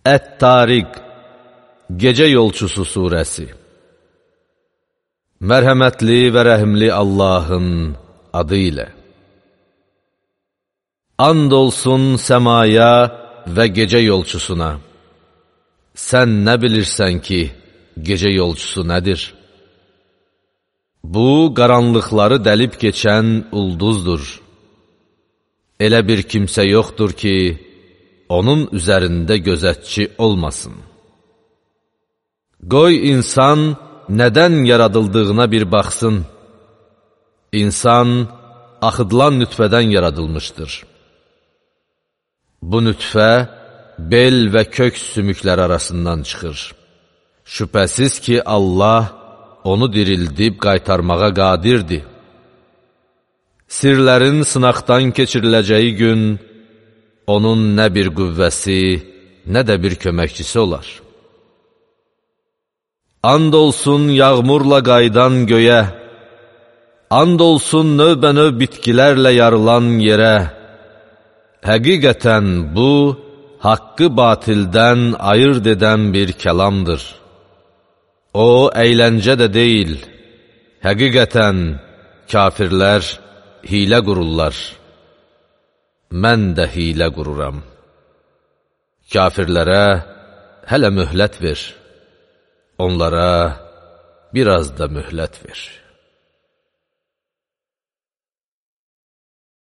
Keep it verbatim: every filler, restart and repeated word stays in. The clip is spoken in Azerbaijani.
Ət-Tariq, Gecə Yolçusu surəsi. Mərhəmətli və rəhimli Allahın adı ilə. And olsun səmaya və gecə yolçusuna. Sən nə bilirsən ki, gecə yolçusu nədir? Bu, qaranlıqları dəlib keçən ulduzdur. Elə bir kimsə yoxdur ki, onun üzərində gözətçi olmasın. Qoy insan nədən yaradıldığına bir baxsın. İnsan axıdılan nütfədən yaradılmışdır. Bu nütfə bel və kök sümüklər arasından çıxır. Şübhəsiz ki, Allah onu dirildib qaytarmağa qadirdir. Sirlərin sınaqdan keçiriləcəyi gün, onun nə bir qüvvəsi, nə də bir köməkçisi olar. And olsun yağmurla qaydan göyə, and olsun növbə-növ bitkilərlə yarılan yerə. Həqiqətən bu, haqqı batildən ayırt edən bir kəlamdır. O, əyləncə də deyil. Həqiqətən, kafirlər hilə qururlar. Mən də hilə qururam. Kafirlərə hələ möhlət ver. Onlara biraz da möhlət ver.